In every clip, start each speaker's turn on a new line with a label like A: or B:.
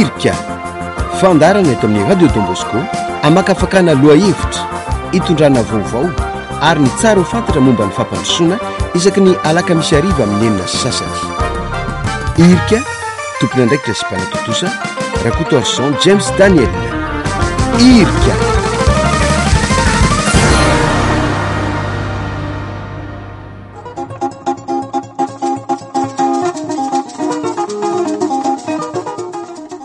A: Irika, fandaharana eto amin'ny Radio Don Bosco hamakafakana lohahevitra, hitondrana vaovao ary ny tsara ho fantatra momba ny fampandrosoana isaky ny alakamisy hariva amin'ny 6:30. Irika, tompon'andraikitra sy mpanatontosa, Rakotoarison James Daniel. Irika.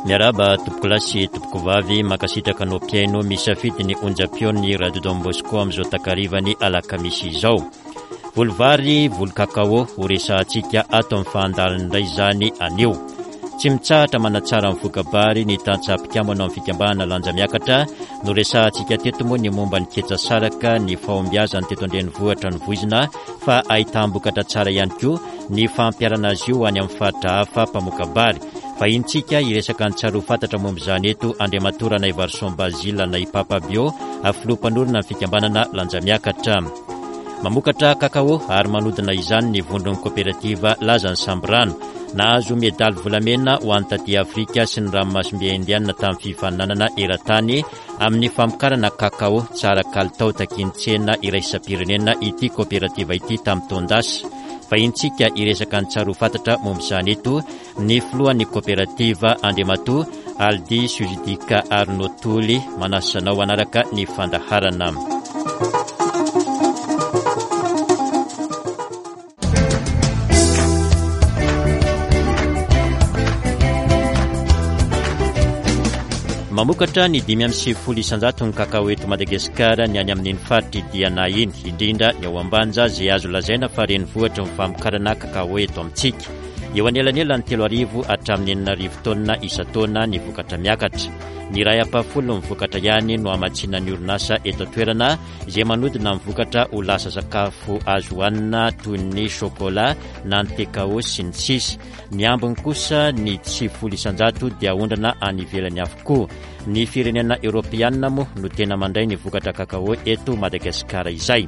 B: Miarahaba tompokolahy sy tompokovavy, mankasitraka anao mpihaino misafidy ny onjam-peon'ny Radio Don Bosco amin'izao takarivany alakamisy izao. Voly vary, voly kakao, ho resahantsika ato amin'ny fahandaliny indray izany anio. Tsy mitsahatra manatsara ny voka-bary ny tantsaha mpikambana ao amin'ny fikambanana Lanja Miakatra. Noresahantsika teto moa ny momba ny ketsa saraka, ny fahombiazany teto an-drenivohitra novoizina fa ahitam-bokatra tsara ihany koa ny fampiharana azy io any amin'ny faritra hafa mpamoka-bary. Vahinintsika hiresaka ny tsara ho fantatra momba izany eto Andriamatoa Ranaivarison Basile na i Papa Bio, filoha mpanorina ny fikambanana Lanja Miakatra. Mamokatra kakao ary manodina izany ny vondron'ny koperativa Lazan'ny Sambirano. Nahazo medaly volamena ho an'ny taty Afrika sy ny ranomasimbe Indiana tamin'ny fifaninanana eran-tany amin'ny famokarana kakao tsara kalitao takian'ny tsena iraisam-pirenena ity koperativa ity tamin'ny taon-dasa. Vahintsika hiresaka ny tsara ho fantatra momba izany eto ny filohan'ny koperativa Andriamatoa Aldi Suzidika Arnaud Toly manasa anao hanaraka ny fandaharana. Mamokatra ny 95% ny kakao eto Madagasikara ny any amin'iny faritr'i Diana iny, indrindra ny ao Ambanja izay azo lazaina fa renivohitry ny famokarana kakao eto amintsika. Eo anelanelan'ny 3000 hatramin'ny 6000 taonina isan-taona ny vokatra miakatra. Ny iray ampahafolon'ny vokatra ihany no hamatsiana ny orinasa eto an-toerana izay manodina ny vokatra ho lasa sakafo azo hohanina toy ny chocolat na ny tekao sy ny sisa. Ny ambiny kosa ny 90% dia aondrana any ivelany avokoa. Ny firenena eoropeanina moa no tena mandray ny vokatra kakao eto Madagasikara izay.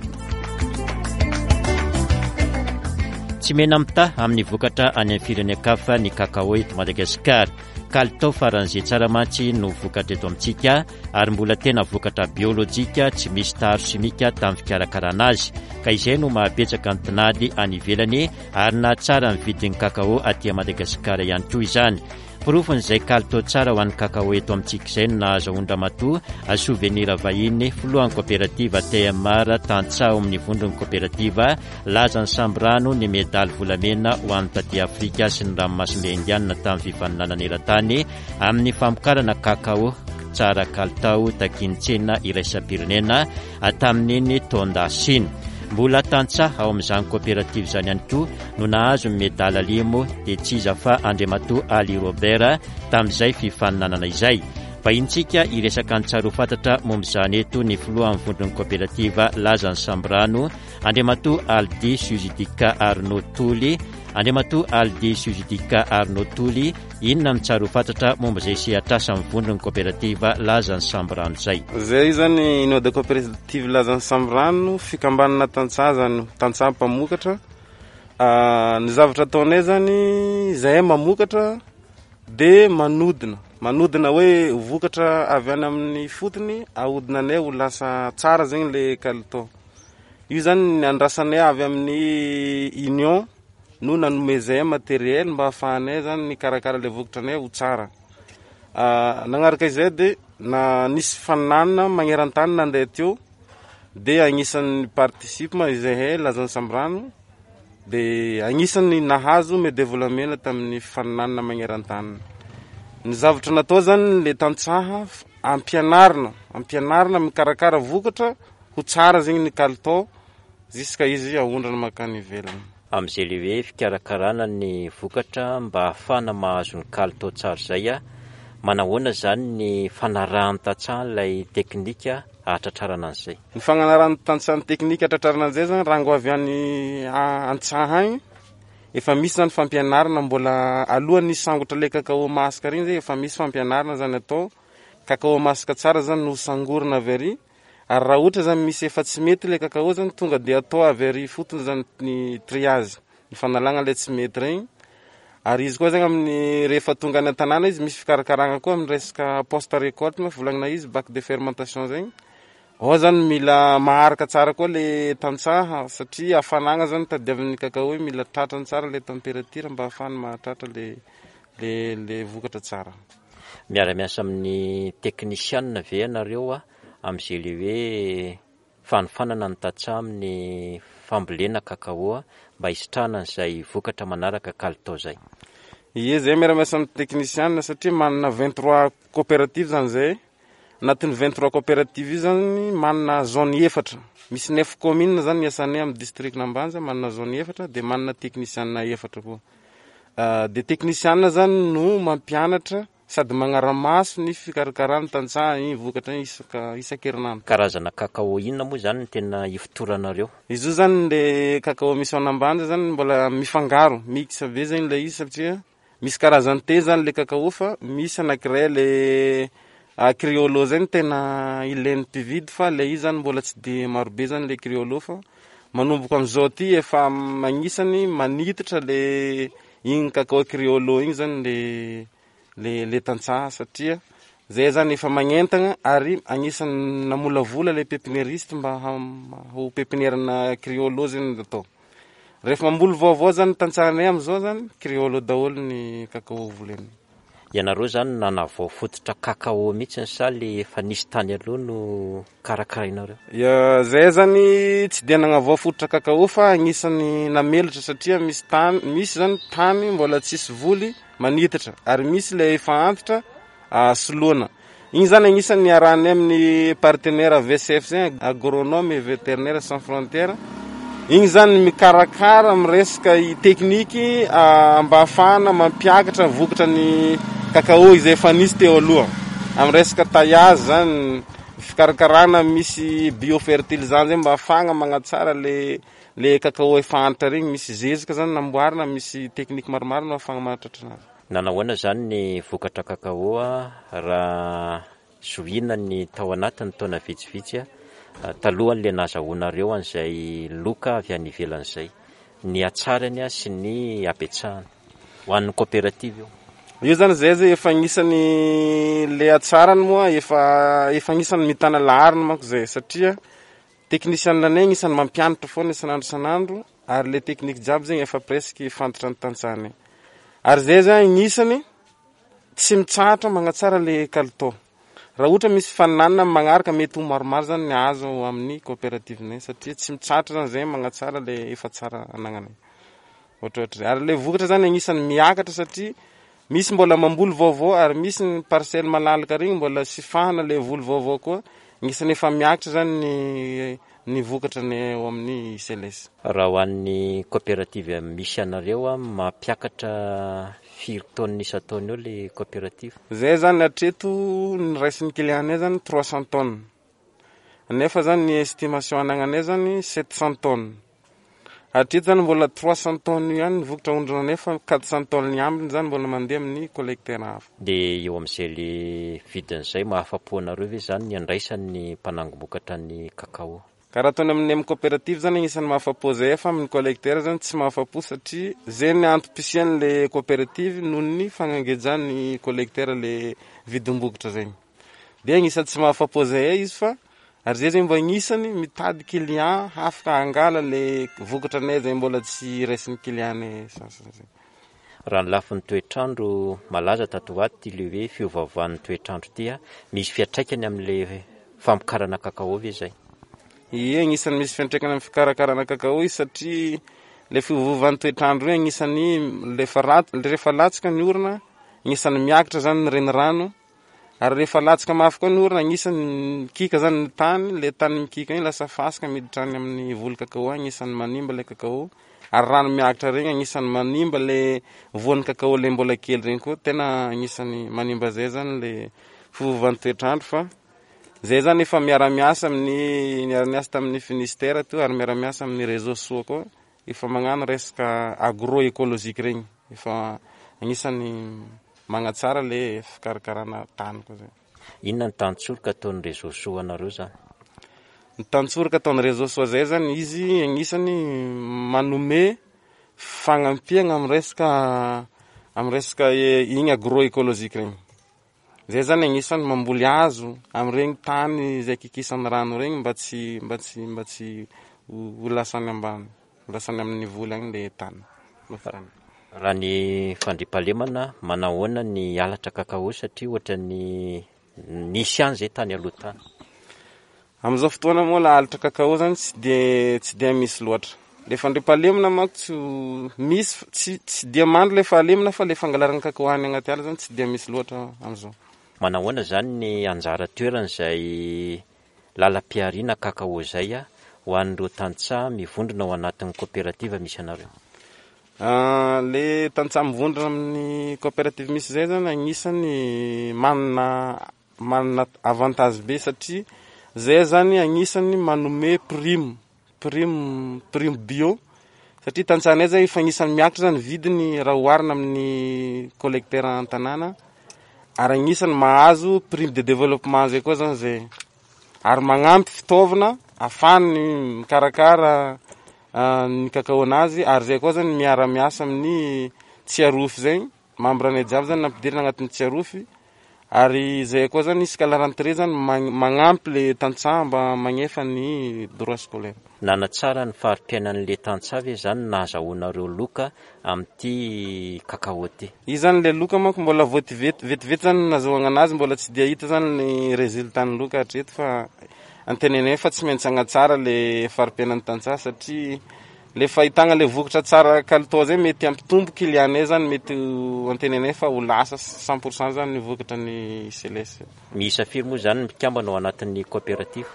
B: Tsy mena-mitaha amin'ny vokatra any amin'ny firenen-kafa ny kakao eto Madagasikara. Kalitao faran'izay tsara mantsy no vokatra eto amintsika ary mbola tena vokatra biolojika tsy misy taharo simika tamin'ny fikarakarana azy ka izay no mahabetsaka ny tinady any ivelany ary nahatsara ny vidin'ny kakao aty Madagasikara ihany koa izany. Porofon'izay kalitao tsara ho an'ny kakao eto amintsika izay no nahazahoan-dRamatoa Souvenir Vahiny, filohan'ny koperativa TMR tantsaha ao amin'ny vondron'ny koperativa Lazan'ny Sambirano ny medaly volamena ho an'ny taty Afrika sy ny ranomasimbe Indianina tamin'ny fifaninanana eran-tany amin'ny famokarana kakao tsara kalitao takian'ny tsena iraisam-pirenena tamin'iny taon-dasa iny. Mbola tantsaha ao amin'izany koperativa izany ihany koa no nahazo ny medaly alimo dia tsy iza fa Andriamatoa Ali Robert tamin'izay fifaninanana izay. Vahinintsika hiresaka ny tsara ho fantatra momba izany eto ny filohan'ny vondron'ny koperativa Lazan'ny Sambirano, Andriamatoa Aldi Suzidika Arnaud Toly. Andriamatoa Aldi Suzidika Arnaud Toly, Inona no tsara ho fantatra momba izay sehatr'asan'ny vondron'ny koperativa Lazan'ny Sambirano izay?
C: Izay izany Union de Coopérative Lazan'ny Sambirano, fikambanana tantsaha izany, tantsaha mpamokatra. Ny zavatra ataonay izany, izahay mamokatra dia manodina, manodina hoe vokatra avy any amin'ny fotony ahodina anay ho lasa tsara zegny le kalitao. Io zany ny andrasanay avy amin'ny Union no nanomezay matériel mba ahafahanay zany nikarakara le vokatranay ho tsara. Nagnaraka izay de na nisy faninanana magneran-tany nandeha teo de agnisan'ny participe ma izahay Lazan'ny Sambirano de agnisan'ny nahazo medaille volamena tamin'ny faninanana magneran-tany. Ny zavatra natao zany le tantsaha ampianarina, ampianarina mikarakara vokatra ho tsara zegny ny kalitao Jusqu'à izy aondrana mankany ivelany.
B: Amin'izay le hoe fikarakarana ny vokatra mba hahafahana mahazo ny kalitao tsara izay, manahoana izany ny fanarahan'ny tantsaha ilay teknika hahatratrarana an'izay?
C: Ny fagnanarahan'ny tantsaha ny teknika hahatratrarana an'izay zany rango avy any an-tsaha agny, efa misy zany fampianarana mbola alohan'ny hisangotra le cacao masaka regny zay efa misy fampianarana zany atao, cacao masaka tsara zany no sangorina avy ary Ary raha ohatra zany misy efa tsy mety ilay cacao zany tonga dia atao avy ary ifotony zany ny triage, ny fanalagna ilay tsy mety regny. Ary izy koa zegny amin'ny rehefa tonga any an-tanàna izy misy fikarakaragna koa amin'ny resaka post récolte moa volagnina izy bac de fermentation zegny. Ao zany mila maharaka tsara koa le tantsaha satria hafanagna zany tadiavin'ny cacao io, mila tratrany tsara le température mba ahafahany mahatratra le le le vokatra tsara.
B: Miara-miasa amin'ny teknisianina ve ianareo amin'izay le hoe fanofanana ny tantsaha amin'ny fambolena cacao mba hisitrahana an'izay vokatra manaraka kalitao izay?
C: Ie, zay miara-miasa amin'ny teknisianina satria manana 23 coopérative zany zay. Anatin'ny 23 coopérative io zany manana zone efatra. Misy neuf communes zany iasanay amin'ny district-n'Ambanja, manana zone efatra dia manana teknisianina efatra koa. Dia teknisianina zany no mampianatra sady magnara-maso ny fikarakarana tantsaha iny vokatra iny isaka isan-kerinandro.
B: Karazana cacao inona moa izany no tena ifotoranareo?
C: Izy io zany le cacao misy ao an'Ambanja zany mbola mifangaro, mix be zany ilay izy satria misy karazany telo zany le cacao fa misy anankiray le criollo zay no tena ilain'ny mpividy fa le izy zany mbola tsy de marobe zany le criollo fa manomboka amin'izao ty efa agnisany manitatra le igny cacao criollo igny zany le le le tantsaha satria zay zany efa magnentagna ary agnisan'ny namolavola le pépiniériste mba ho pépinière-na criollo zany no atao. Rehefa mamboly vaovao zany tantsahanay amin'izao zany criollo daholo ny cacao volena.
B: Ianareo zany nanavao fototra cacao mihitsy sa le efa nisy tany aloha no karakarainareo?
C: Ya, zay zany tsy dia nagnavao fototra cacao fa agnisan'ny namelatra satria misy tany, misy zany tany mbola tsisy voly manitatra ary misy le efa antitra soloana. Igny zany agnisan'ny niarahanay amin'ny partenaire VCF zay, agronome et vétérinaire sans frontières. Igny zany mikarakara amin'ny resaka tekniky mba ahafahana mampiakatra vokatra ny cacao izay efa nisy teo aloha. Amin'ny resaka taillage zany, fikarakarana misy biofertilisant zay mba ahafahana magnatsara le le cacao efa antitra regny, misy zezika zany namboarina, misy tekniky maromaro no ahafahana mahatratra anazy.
B: Nanahoana izany ny vokatra cacao raha zohiana ny tao anatin'ny taona vitsivitsy talohan'ilay nahazahoanareo an'izay loka avy any ivelany izay, ny hatsarany sy ny habetsahany? Ho an'ny coopérative io.
C: Io zany zay zay efa agnisan'ny le hatsarany moa efa efa agnisan'ny mitana laharana manko zay satria technicien anay agnisan'ny mampianatra foana isan'andro isan'andro ary le technique jiaby zegny efa presque fantatra ny tantsahanay. Ary zay zany agnisany tsy mitsahatra magnatsara le kalitao. Raha ohatra misy faninanana amin'ny magnaraka mety ho maromaro zany ny azo amin'ny coopérative-nay satria tsy mitsahatra zany zay magnatsara le efa tsara anagnanay. Ohatrohatry zay. Ary le vokatra zany agnisany miakatra satria misy mbola mamboly vaovao ary misy ny parcelle malalaka regny mbola tsy fahana le voly vaovao koa, agnisany efa miakatra zany ny ny vokatra ny ao amin'ny CLS.
B: Raha ho an'ny coopérative misy anareo, mampiakatra firy tonnes isan-taona eo le coopérative?
C: Zay zany hatreto ny raisin'ny client-nay zany 300 tonnes, nefa zany ny estimation anagnanay zany 700 tonnes. Hatreto zany mbola 300 tonnes io ihany ny vokatra aondronanay fa 400 tonnes ny ambiny zany mbola mandeha amin'ny collecteur hafa.
B: Dia eo amin'izay le vidiny izay, mahafa-po anareo ve izany ny andraisan'ny mpanangom-bokatra ny cacao?
C: Ka raha ataony amin'ny amin'ny coopérative zany agnisan'ny mahafa-po zay fa amin'ny collecteur zany tsy mahafa-po satria zay ny antom-pisian'le coopérative noho ny fagnangejan'ny collecteur le vidim-bokatra zegny. Dia agnisan'ny tsy mahafa-po zay izy fa ary zay zegny mba agnisany mitady client hafaka hangala le vokatra anay zay mbola tsy raisin'ny client-nay sasany zay.
B: Raha ny lafiny toetr'andro, malaza tato ho ato ity le hoe fiovaovan'ny toetr'andro ity, misy fiantraikany amin'ilay famokarana cacao ve izay?
C: Ie, agnisan'ny misy fiantraikany amin'ny fikarakarana cacao izy satria le fiovaovan'ny toetr'andro io agnisan'ny rehefa ratsy, rehefa latsaka ny orana, agnisan'ny miakatra zany ny renirano Ary rehefa latsaka mafy koa ny orana, agnisan'ny mikiaka zany ny tany, le tany mikiaka igny lasa fasika miditra any amin'ny voly cacao agny, agnisan'ny manimba le cacao. Ary rano miakatra regny agnisan'ny manimba le voan'ny cacao le mbola kely regny koa, tena agnisan'ny manimba zay zany le fiovan'ny toetr'andro fa zay zany efa miara-miasa amin'ny, niara-niasa tamin'ny Finistère teo ary miara-miasa amin'ny réseau soa koa, efa magnano resaka agroécologique regny, efa agnisan'ny Magnatsara le fikarakarana tany koa zay.
B: Inona ny tantsoroka ataon'ny réseau soa anareo zany?
C: Ny tantsoroka ataon'ny réseau soa zay zany izy agnisany manome fagnampiagna amin'ny resaka Amin'ny resaka igny agroécologique regny. Zay zany agnisan'ny mamboly hazo amin'iregny tany izay kikisan'ny rano regny mba tsy mba tsy mba tsy ho lasany ambany, ho lasany amin'ny voly agny le tany.
B: Raha ny fandriampahalemana, manahoana ny halatra cacao satria ohatran'ny nisy ihany izay tany aloha tany?
C: Amin'izao fotoana moa la halatra cacao zany tsy de tsy dia misy loatra. Le fandriampahalemana manko tsy misy tsy tsy dia mandry le fahalemana fa le fangalarana cacao any agnaty ala zany tsy dia misy loatra amin'izao.
B: Manahoana zany ny anjara toeran'izay lalam-pihariana cacao izay ho an'ireo tantsaha mivondrona ao anatin'ny koperativa misy anareo?
C: Le tantsaha mivondrona amin'ny koperativa misy izay zany agnisan'ny manana Manana avantage be satria zay zany agnisan'ny manome prime, prime, prime bio satria tantsahanay zay efa agnisan'ny miakatra zany vidiny raha oharina amin'ny collecteur an-tanàna ary agnisan'ny mahazo prime de développement zay koa zany zay ary magnampy fitaovana ahafahany mikarakara ny cacao anazy ary zay koa zany miara-miasa amin'ny Tsiarofy zay. Membre anay jiaby zany nampidirina agnatin'ny Tsiarofy ary zay koa zany isaka la rentrée zany magnampy le tantsaha mba magnefa ny droit scolaire.
B: Nanatsara ny fari-piainan'le tantsaha ve zany ny nahazahoanareo loka amin'ity cacao ity?
C: Izy zany le loka manko mbola vao vetivety zany ny nazahoagna anazy mbola tsy dia hita zany ny résultat ny loka hatreto fa antenainay fa tsy maintsy hagnatsara le fari-piainan'ny tantsaha satria Le fahitagna le vokatra tsara kalitao zay mety hampitombo client-nay zany mety ho antenainay fa ho lasa 100% zany ny vokatra ny CLS.
B: Miisa firy moa zany ny mpikambana ao anatin'ny coopérative?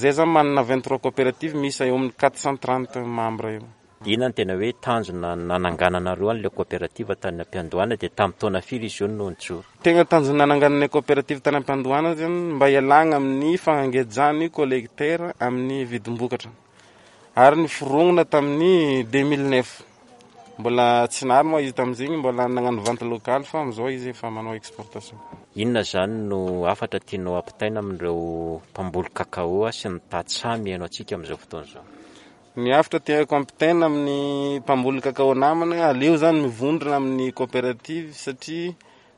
C: Zay zany manana 23 coopérative miisa eo amin'ny 430 membres eo.
B: Inona no tena hoe tanjona nanangananareo an'ilay coopérative tany am-piandohana dia tamin'ny taona firy izy io no nijoro?
C: Tegna tanjona nanangananay coopérative tany am-piandohana zany mba hialagna amin'ny fangejan'ny collecteur amin'ny vidim-bokatra. ary niforongona tamin'ny 2009. Mbola tsy nary moa izy tamin'izigny, mbola nagnano vente locale fa amin'izao izy efa manao exportation.
B: Inona izany no hafatra tianao hampitaina amin'ireo mpamboly cacao sy ny tantsaha mihaino antsika amin'izao fotoana izao?
C: Ny hafatra tiako hampitaina amin'ny mpamboly cacao namana, aleo zany mivondrona amin'ny coopérative satria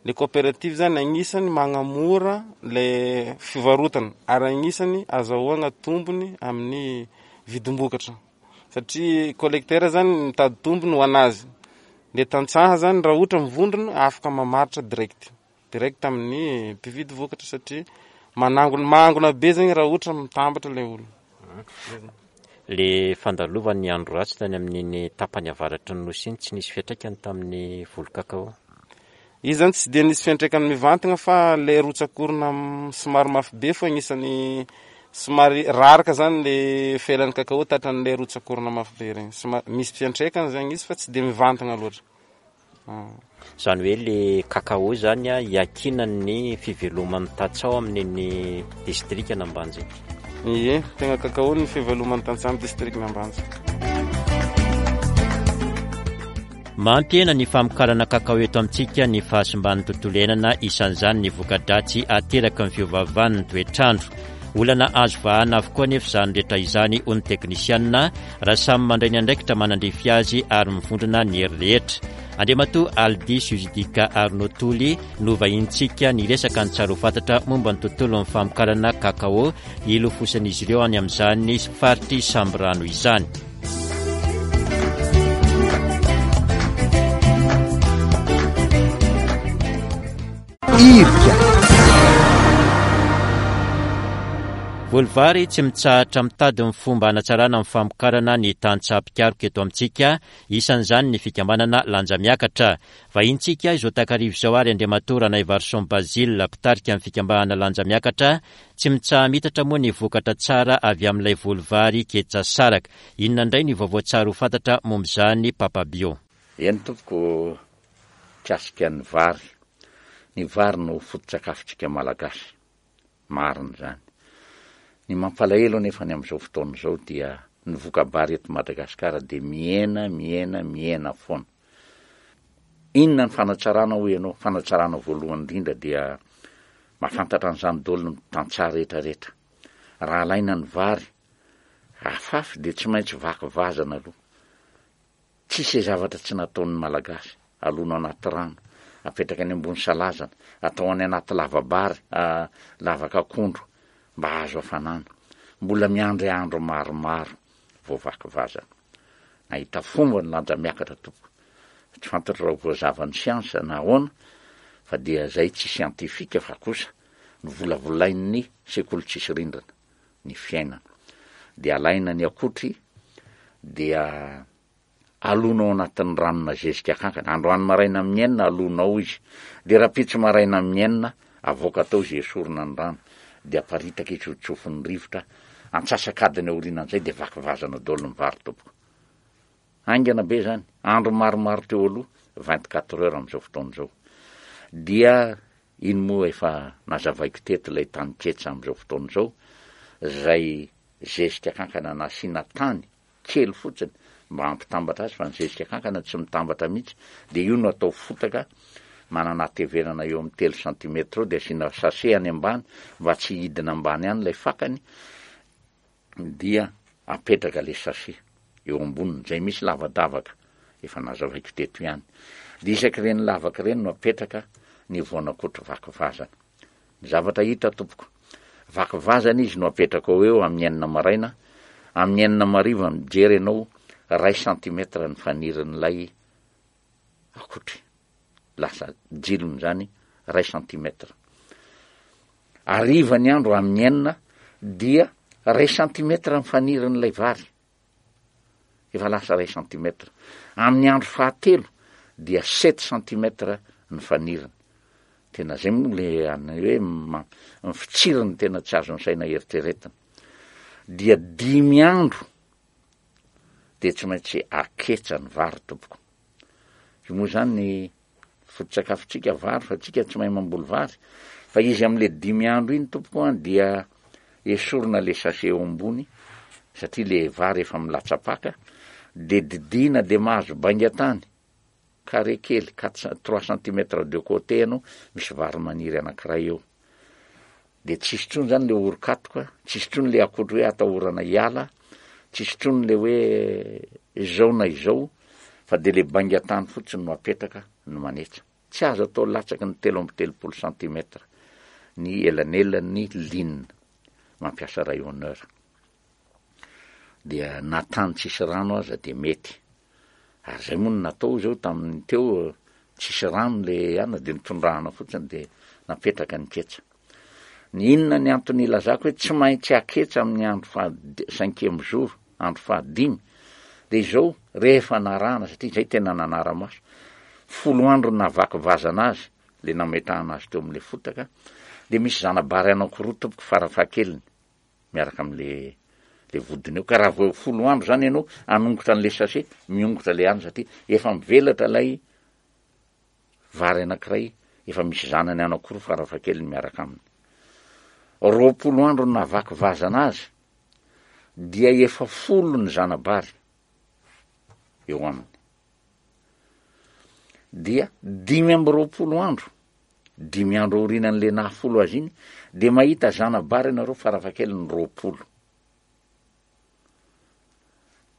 C: Le coopérative zany agnisany magnamora le fivarotana ary agnisany azahoagna tombony amin'ny vidim-bokatra satria collecteur zany mitady tombony ho anazy, le tantsaha zany raha ohatra mivondrona afaka mamaritra direct, direct amin'ny mpividy vokatra satria manangona mangona be zegny raha ohatra mitambatra le olo.
B: Le fandalovan'ny andro ratsy tany amin'iny tapany avaratry ny Nosy iny tsy nisy fiantraikany tamin'ny voly cacao?
C: Izy zany tsy dia nisy fiantraikany mivantagna fa le rotsak'orona somary mafy be fô agnisan'ny somary raraka zany le felan'ny cacao tratran'le rotsak'orona mafy be regny, somary misy fiantraikany zany izy fa tsy de mivantagna loatra.
B: Izany hoe le cacao izany iankinan'ny fiveloman'ny tantsaha ao amin'iny distrikan'Ambanja iny.
C: Ie, tegna cacao ny fiveloman'ny tantsaha amin'ny distrikan'Ambanja.
B: Mampihena ny famokarana cacao eto amintsika ny fahasimban'ny tontolo iainana, isan'izany ny voka-dratsy ateraky ny fiovaovan'ny toetr'andro. Olana azo vahana avokoa anefa izany rehetra izany, hoy ny teknisianina, raha samy mandray ny andraikitra manandrify azy ary mivondrona ny hery rehetra. Andriamatoa Aldi Suzidika Arnaud Toly no vahinintsika niresaka ny tsara ho fantatra momba ny tontolon'ny famokarana kakao ilofosan'izy ireo any amin'izany faritr'i Sambirano izany.
A: Irika.
B: Voly vary tsy mitsahatra mitady ny fomba hanatsarana ny famokarana ny tantsaha mpikaroka eto amintsika, isan'izany ny fikambanana Lanja Miakatra. Vahintsika izao takariva izao ary Andriamatoa Ranaivarison Basile, mpitarika ny fikambanana Lanja Miakatra. Tsy mitsaha-mitatra moa ny vokatra tsara avy amin'ilay voly vary ketsa saraka. Inona indray ny vaovao tsara ho fantatra momba izany Papa Bio?
D: Eny tompoko, Mikasika ny vary, ny vary no foto-tsakafontsika Malagasy. Marina izany. Ny mampalahelo anefa ny amin'izao fotoana izao dia ny voka-bary eto Madagasikara dia mihena, mihena, mihena foana. Inona ny fanatsarana hoy ianao? Fanatsarana voalohany indrindra dia mahafantatra an'izany daholo ny tantsaha rehetra rehetra. Raha alaina ny vary afafy dia tsy maintsy vaky vazana aloha. Tsisy zavatra tsy nataon'ny Malagasy. alona anaty rano, apetraka any ambony salazana, atao any anaty lava-bary, lavaka akondro mba hahazo hafanana. Mbola miandry andro maromaro vao vaky vazana. Nahita fomba ny lanja miakatra tompoko. Tsy fantatro raha ho voazavan'ny siansa na ahoana fa dia zay tsy siantifika fa kosa novolavolain'ny sekoly tsisy rindrina ny fiainana. Dia alaina ny akotry dia alona ao anatin'ny ranona zezika kankana. Androany maraina amin'ny enina alona ao izy. Dia rahampitso maraina amin'ny enina avoaka tao izy esorina ny rano. Dia aparitaka izy ho tsofin'ny rivotra. Antsasak'adiny aorianan'izay dia vaky vazana daholo ny vary tompoko. Haingana be izany. Andro maromaro teo aloha, 24 heures amin'izao fotoana izao. Dia iny moa efa nazavaiko teto ilay tany ketsa amin'izao fotoana izao, izay zezika kankana nasiana tany kely fotsiny mba hampitambatra azy fa ny zezika kankana tsy mitambatra mihitsy dia io no atao fotaka manana hatevenana eo amin'ny telo centimètre eo dia asiana sachet any ambany mba tsy hidina ambany any ilay fakany dia apetraka ilay sachet eo amboniny izay misy lavadavaka efa nazavaiko teto ihany dia isak'ireny lavaka ireny no apetraka ny voanakotry vaky vazana Ny zavatra hita tompoko. Vaky vazana izy no apetrakao eo amin'ny enina maraina, amin'ny enina mariva mijery ianao ray centimètre ny fanirin'ilay akotry. Lasa jilony izany ray centimètre. Hariva ny andro amin'ny enina dia ray centimètre ny fanirin'ilay vary. Efa lasa iray centimètre. Amin'ny andro fahatelo dia sept centimètre ny faniriny. Tena zay moa le any hoe ny fitsiriny tena tsy azon'ny saina eritreretina. Dia dimy andro dia tsy maintsy aketsa ny vary tompoko. Io moa zany ny Foto-tsakafontsika vary fa tsika tsy mahay mamboly vary fa izy amle dimy andro iny tompoko an dia esorina le sachet eo ambony satria le vary efa milatsapaka de didiana de mahazo bainga tany carré kely quatre trois centimètres de côté ianao misy vary maniry anakiray eo De tsisy intsony zany le orokatoka, tsisy intsony le akotry hoe atahorana hiala, tsisy intsony le hoe izao na izao fa de le bainga tany fotsiny no apetraka no manetsa. Tsy azo atao latsaky ny 33 centimètre ny elanelan'ny ligne mampiasa rayonneur. Dia na tany tsisy rano aza de mety. Ary zay moa no natao zao tamin'ny teo tsisy rano le ana de nitondrahana fotsiny de napetraka ny ketsa. Ny inona ny antony ilazako hoe tsy maintsy aketsa amin'ny andro faha cinquième jour, andro fahadimy, de izao rehefa narahana satria zay tena nanara-maso, folo andro nahavaky vazana azy le nametrahana azy teo amin'le fotaka, de misy zana-bary anankiroa tompoko farafahakeliny. miaraka amle le vodiny eo, ka raha vao folo andro zany ianao hanongotra an'le sachet, miongotra le any satria efa mivelatra ilay vary anankiray efa misy zanany anankiroa farafahakeliny miaraka aminy. 20 andro no nahavaky vazana azy dia efa folo ny zana-bary eo aminy. Dia 25 andro Dimy andro aorianan'le naha folo azy iny dia mahita zana-bary ianareo farafahakeliny 20.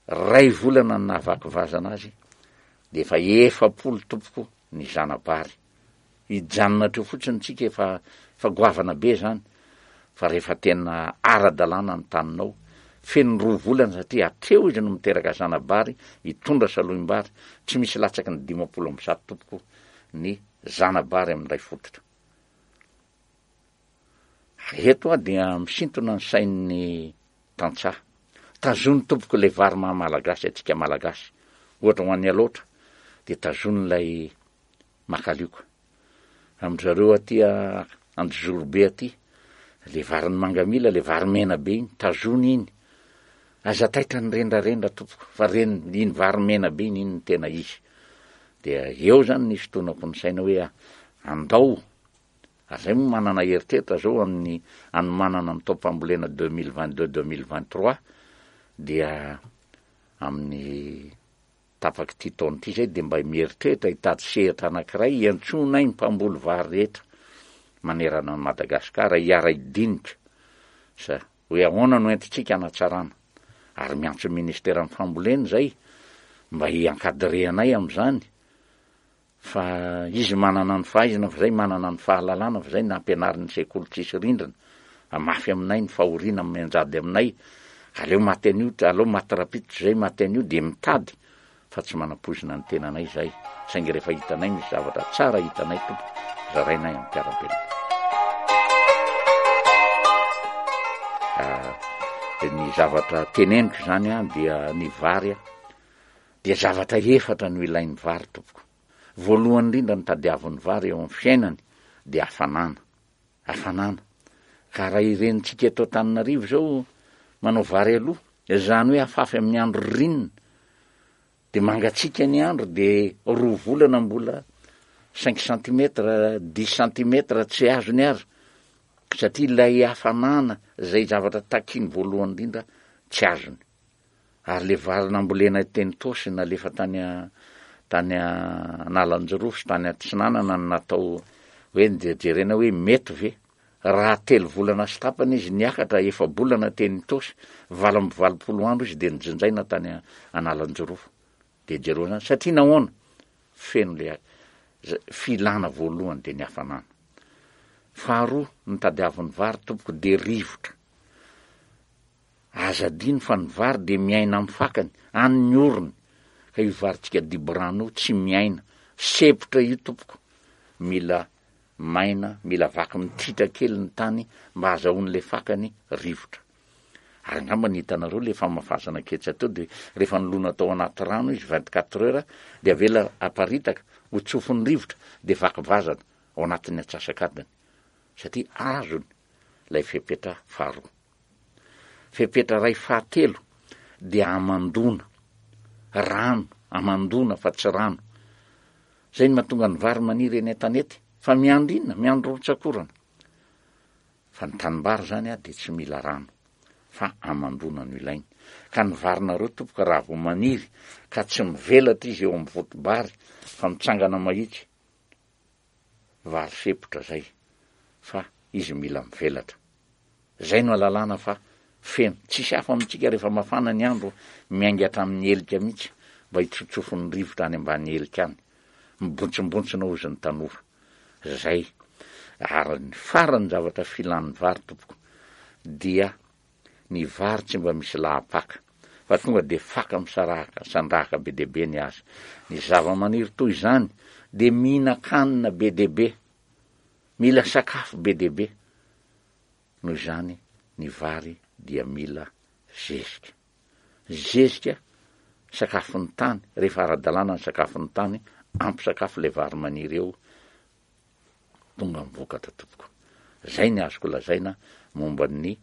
D: Ray volana ny nahavaky vazana azy dia efa 40 tompoko ny zana-bary. Hijanona hatreo fotsiny tsika efa efa goavana be zany fa rehefa tena ara-dalàna ny taninao, feno roa volana satria hatreo izy no miteraka zana-bary hitondra salohim-bary, tsy misy latsaky ny 150 tompoko ny zana-bary amin'ny iray fototra. Ary eto aho dia misintona ny sain'ny tantsaha. Tazony tompoko ilay vary maha malagasy antsika malagasy. Ohatra ho an'ny Alaotra dia tazony ilay makalioka. Amin-dry zareo aty Anjozorobe aty, ilay varin'ny mangamila, ilay vary mena be iny, tazony iny. Aza taitra ny rendrarendra tompoko fa reny iny vary mena be iny, iny no tena izy. Dia eo zany ny fitonako ny saina hoe andao, ary zay moa manana eritreritra zao amin'ny anomanana ny taom-pambolena 2022 2023 dia amin'ny tapak'ity taona ity zay dia mba mieritreritra hitady sehatra anankiray hiantsoanay ny mpamboly vary rehetra manerana an'i Madagasikara hiara-hidinika sa Hoe ahoana no entintsika hanatsarana? Ary miantso ny ministeran'ny fambolena izay mba hi-encadrer anay amin'izany. Fa izy manana ny fahaizana fa zay manana ny fahalalana fa zay nampianarin'ny sekoly tsisy rindrina. Mafy aminay ny fahoriana mianjady aminay. Aleo maty anio, aleo maty rapito zay maty anio dia mitady fa tsy manampoizina ny tenanay izahay saingy rehefa hitanay misy zavatra tsara hitanay tompoko zarainay amin'ny mpiara-belona. Ah, ny zavatra teneniko izany an dia ny vary an dia zavatra efatra no ilain'ny vary tompoko. Voalohany indrindra ny tadiavin'ny vary eo amin'ny fiainany dia hafanana. Hafanana. Ka raha irenintsika eto Antananarivo izao manao vary aloha, izany hoe afafy amin'ny andro ririnina, dia mangatsiaka ny andro dia roa volana mbola cinq centimètres, dix centimètres tsy azony aza, satria ilay hafanana izay zavatra takiany voalohany indrindra tsy azony. Ary le vary nambolena teny Itaosy nalefa tany tany Analanjirofo sy tany Atsinanana no natao hoe jerena hoe mety ve? Raha telo volana sy tapany izy niakatra, efa-bolana teny Itaosy, 88 andro izy dia nojinjaina tany Analanjirofo. Dia jereo zany, satria nahoana? Feno le filana voalohany dia ny hafanana. Faharoa, ny tadiavin'ny vary tompoko dia rivotra. Aza adino fa ny vary dia miaina amin'ny fakany, any ny orony, ka io varintsika diborano io tsy miaina, sepotra io tompoko, mila maina, mila vaky mititra kely ny tany mba azahoan'ilay fakany rivotra. Ary angamba ny hitanareo le famafazana ketsa teo dia rehefa nilona tao anaty rano izy 24 heures dia avela aparitaka ho tsofin'ny rivotra dia vaky vazana ao anatin'ny atsasak'adiny satria azony ilay fepetra faharoa. Fepetra iray fahatelo dia hamandoana, rano, hamandoana fa tsy rano. Izay no mahatonga ny vary maniry eny an-tanety, fa miandry inona? Miandry rotsak'orana. Fa ny tanimbary izany dia tsy mila rano, fa hamandoana no ilainy. Ka ny varinareo tompoko raha vao maniry ka tsy mivelatra izy eo amin'ny voto-bary fa mitsangana mahitsy, vary sepotra zay fa izy mila mivelatra. Zay no alalana fa feno. Tsisy hafa amintsika rehefa mafana ny andro miainga hatramin'ny helika mihitsy mba hitsotsofin'ny rivotra any ambany helika any. Mibontsimbontsinao hozy ny tanora. Zay. Ary ny farany zavatra filan'ny vary tompoko dia Ny vary tsy mba misy lahapaka, fa tonga dia faka misaraka, sandrahaka be dia be ny azy. Ny zavamaniry toy izany dia mihinan-kanina be dia be, mila sakafo be dia be. Noho izany, ny vary dia mila zezika. Zezika, sakafon'ny tany, rehefa ara-dalàna ny sakafon'ny tany, ampy sakafo ilay vary maniry eo, tonga ny vokatra tompoko. Zay ny azoko lazaina momba ny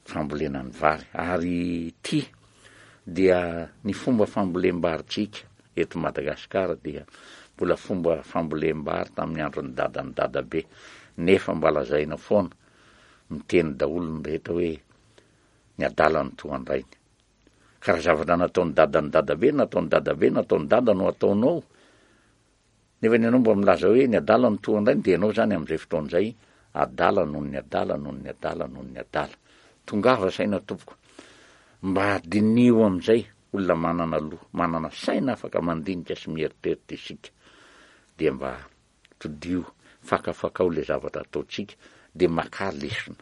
D: fambolena ny vary. Ary ity dia ny fomba fambolem-barintsika eto Madagasikara dia mbola fomba fambolem-bary tamin'ny andron'ny dadan'ny dadabe nefa mba lazaina foana miteny daholo ny rehetra hoe ny adala no toa an-drainy. Ka raha zavatra nataon'ny dadan'ny dadabe, nataon'ny dadabe, nataon'ny dada no ataonao, Nefa ny anao mba milaza hoe ny adala no toa an-drainy dia ianao izany amin'izay fotoana izay adala noho ny adala noho ny adala noho ny adala. Tongava saina tompoko. Mba diniho amin'izay olona manana loha, manana saina afaka mandinika sy mieritreritra isika. Dia mba todiho, fakafakao ilay zavatra ataontsika dia makà lesona.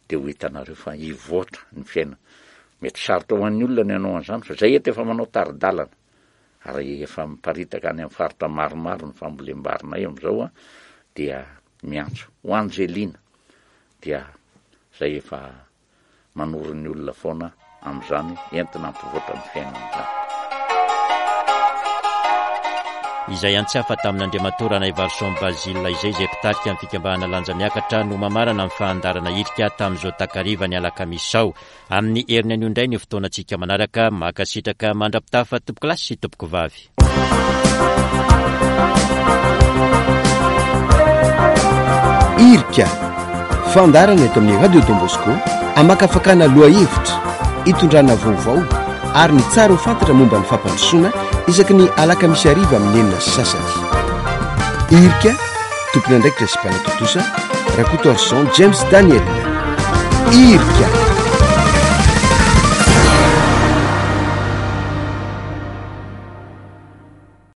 D: Dia ho hitanareo fa hivoatra ny fiainana. Mety sarotra ho an'ny olona ny hanao an'izany fa izay eto efa manao tari-dalana. Ary efa miparitaka any amin'ny faritra maromaro ny fambolem-barinay amin'izao dia miantso ho Angelina dia izay efa manoro ny olona foana amin'izany entina hampivoatra ny fiainana izany.
B: Izay antsiafa tamin'Andriamatoa Ranaivarison Basile izay izay mpitarika ny fikambanana Lanja Miakatra no mamarana ny fahandarana hirika tamin'izao takariva ny alakamisy izao. Amin'ny heriny anio indray ny fotoanantsika manaraka. Mankasitraka mandra-pitafa tompokolahy sy tompokovavy.
A: Irika, fandaharana eto amin'ny Radio Don Bosco, amakafakana lohahevitra, itondrana vaovao ary ny tsara ho fantatra momba ny fampandrosoana isaky ny alakamisy hariva amin'ny 6:30. Irika, Tompon'andraikitra sy mpanatontosa, Rakotoarison James Daniel. Irika.